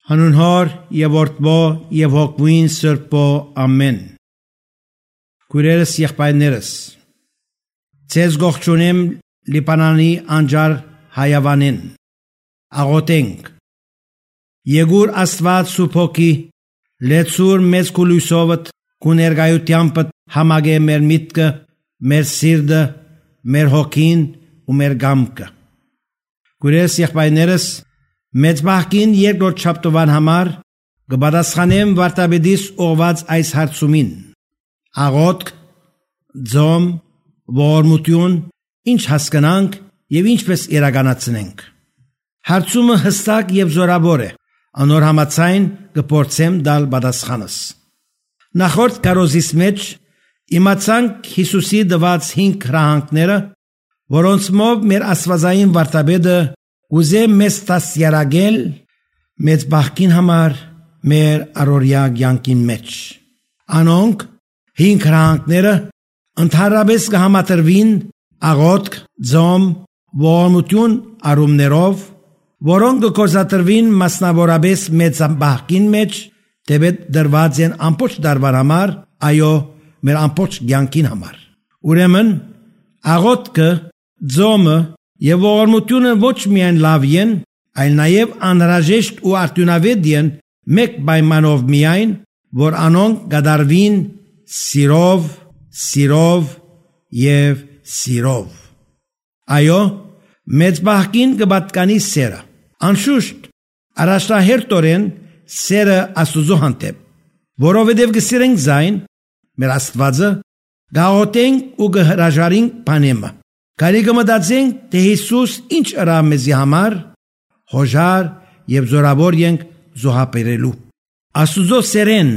Հանուն Հոր եւ Որդու եւ Հոգուին Սրբո ամեն։ Քույրերս եղբայրներս, ձեզ գողջունեմ Լիբանանի անջար հայավանին, աղոթենք։ Եկուր Աստված Սուրբ Հոգի, լեցուր մեծ քույրուսովդ քու ներկայությանդ համագե մեր միտքը, մեր սիրտը, մեր հոգին ու մեր գամքը։ Քույրերս եղբայրներս, մեծ բախքին երկրորդ շաբթվան համար կպատասխանեմ վարդապետիս ուղված այս հարցումին. աղոթք, ձոմ, ողորմություն, ինչ հասկանանք եւ ինչպես իրականացնենք։ Հարցումը հստակ եւ զորավոր է, անոր համաձայն կփորձեմ տալ պատասխանս։ Նախորդ կարոզիս մեջ իմացանք Հիսուսի տված 5 հրահանգները, որոնցմով մեր աստվածային վարդապետը ուզե մեզ դաստիարակել մեծ բախքին համար մեր առօրյա կյանքին մեջ։ Անոնք 5 հրահանգները ընդհանրապես կհամատրվին աղոթք, ձոմ, ողորմություն առումներով, որոնք կգործադրվին մասնավորապես մեծ բախքին մեջ, դեպի դրված են ամբողջ դարվան համար, այո, մեր ամբողջ կյանքին համար։ Ուրեմն աղոթքը, ձոմը եւ ողորմությունը ոչ միայն լավ են, այլ նաեւ անհրաժեշտ ու արդյունավետ են մեկ պայմանով միայն, որ անոնք կդարվին սիրով եւ սիրով։ Այո, մեծ բախքին կպատկանի սերը։ Անշուշտ, առաջնահերթորեն սերը Աստծո հանդեպ, որովհետեւ կսիրենք զայն մեր Աստվածը, գաղութենք ու կհրաժարենք բանեմը։ Կարիք մտածենք, թե Հիսուս ինչ ըրավ մեզի համար, հոժար եւ զորավոր ենք զոհաբերելու։ Աստուծո սերեն,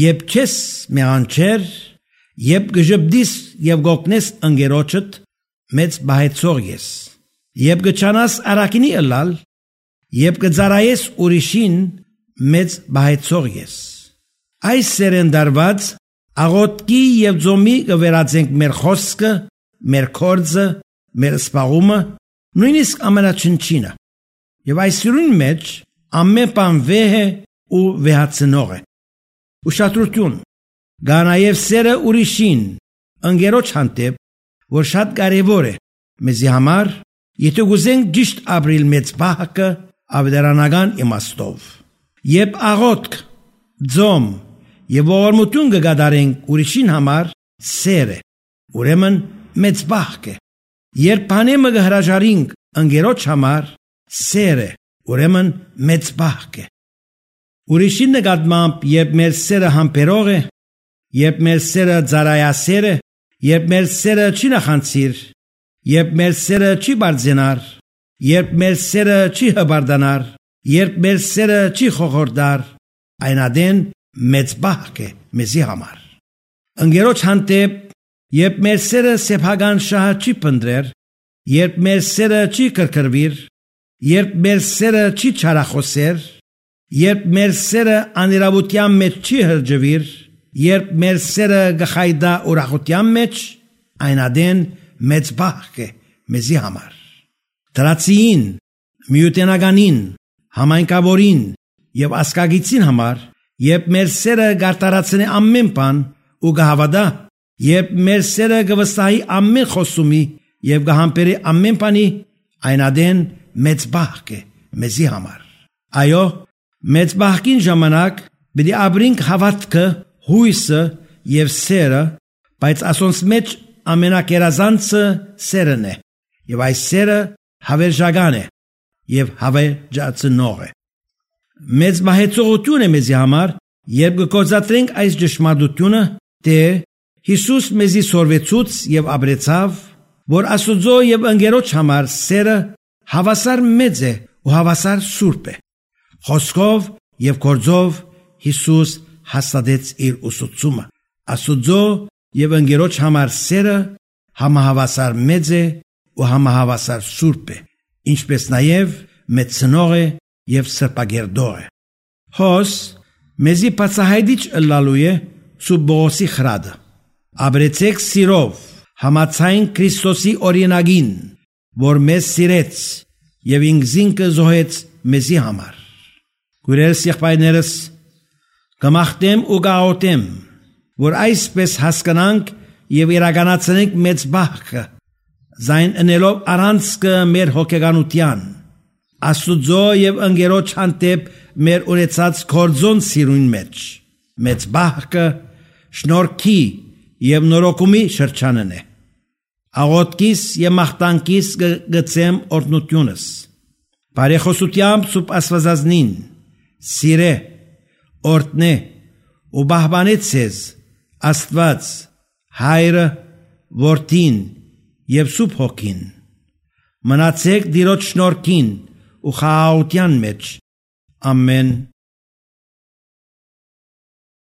երբ չես մեղանչեր, երբ կժպտիս եւ գոկնես ընկերոջդ, մեծ բահեցող ես։ Երբ կչանաս արակինի ըլալ, երբ կծարայես ուրիշին, մեծ բահեցող ես։ Այս սերեն դարված աղոթքի եւ ձոմի կվերածենք մեր խոսքը, մեր կորձը, մեր սպաղումը, նույնիսկ ամենաչնչինը։ Եվ այս սիրուն մեջ ամեն բան վեհ է ու վեհացնող է։ Ուշադրություն, գա նաև սերը ուրիշին, ընկերոջ հանդեպ, որ շատ կարևոր է մեզի համար, եթե գուզենք ճիշտ ապրիլ մեծ բախքը ավետարանական իմաստով։ Երբ աղոթք, ձոմ եւ ողորմություն կգադարենք ուրիշին համար, սեր է, ուրեմն մեծ բախք է։ Երբ բանեմը կհրաժարենք ընկերոջ համար, սեր է, ուրեմն մեծ բախք է։ Ուրիշին նկատմամբ, երբ մեր սերը համբերող է, երբ մեր սերը ծարայասեր է, երբ մեր սերը չի նախանցիր, երբ մեր սերը չի բարձենար, երբ մեր սերը չի հբարդանար, երբ մեր սերը չի խոխորդար, այն ադեն մեծ բախք է մեզի համար։ Ընկերոջ հանդեպ, երբ մեր սերը սեփական շահը չի պնդրեր, երբ մեր սերը չի կրկրվիր, երբ մեր սերը չի չարախոսեր, երբ մեր սերը անիրավության մեջ չի հրջվիր, երբ մեր սերը գխայդա ուրախության մեջ, այն ադեն մեծ բախք է մեզի համար։ Դրացիին, միութենականին, համայնքավորին եւ ասկագիցին համար, երբ մեր սերը գարտարացնի ամեն բան ու գհավադա, երբ մեր սերը կվստահի ամեն խոսումի եւ կհամբերի ամեն բանի, այն ադեն մեծ բախք է մեզի համար։ Այո, մեծ բախքին ժամանակ պիտի ապրենք հավատքը, հույսը եւ սերը, բայց ասոնց մեջ ամենակերազանցը սերն է, եւ այս սերը հավերժական է եւ հավերժացնող է։ Մեծ բահեցողություն է մեզի համար, երբ կգործադրենք այս ճշմարտությունը, թե Հիսուս մեզի սորվեցուց եւ ապրեցավ, որ Աստծո եւ ընկերոջ համար սերը հավասար մեծ է ու հավասար սուրբ է։ Խոսքով եւ գործով Հիսուս հաստատեց իր ուսուցումը։ Աստծո եւ ընկերոջ համար սերը համահավասար մեծ է ու համահավասար սուրբ է, ինչպես նաեւ մեծնող է եւ սրբագերդող է։ Հոս մեզի բացահայտիչ ըլլալու է Սուրբ Բողոսի խրադը։ Ապրեցեք սիրով, համաձայն Քրիստոսի օրինագին, որ մեզ սիրեց եւ ինքզինքը զոհեց մեզի համար։ Քուրերս եղբայրներս, կմաղթեմ ու կաղոթեմ, որ այսպես հասկանանք եւ իրականացնենք մեծ բախը, զայն ընելով առանցքը մեր հոգեկանության, Աստուծո եւ ընկերոջ հանդեպ մեր ունեցած կորձոն սիրուն մեջ, մեծ բախը շնորհքի եւ նորոգումի շրջանն է։ Աղոթքիս եւ մաղթանքիս գծեմ օրհնությունս։ Բարեխոսությամբ սուրբ Աստվածածնին, սիրե, օրհնե ու բահբանե ցեզ Աստված, Հայրը, Որդին եւ Սուրբ Հոգին։ Մնացեք Տիրոջ շնորհքին ու խաղաղության մեջ։ Ամեն։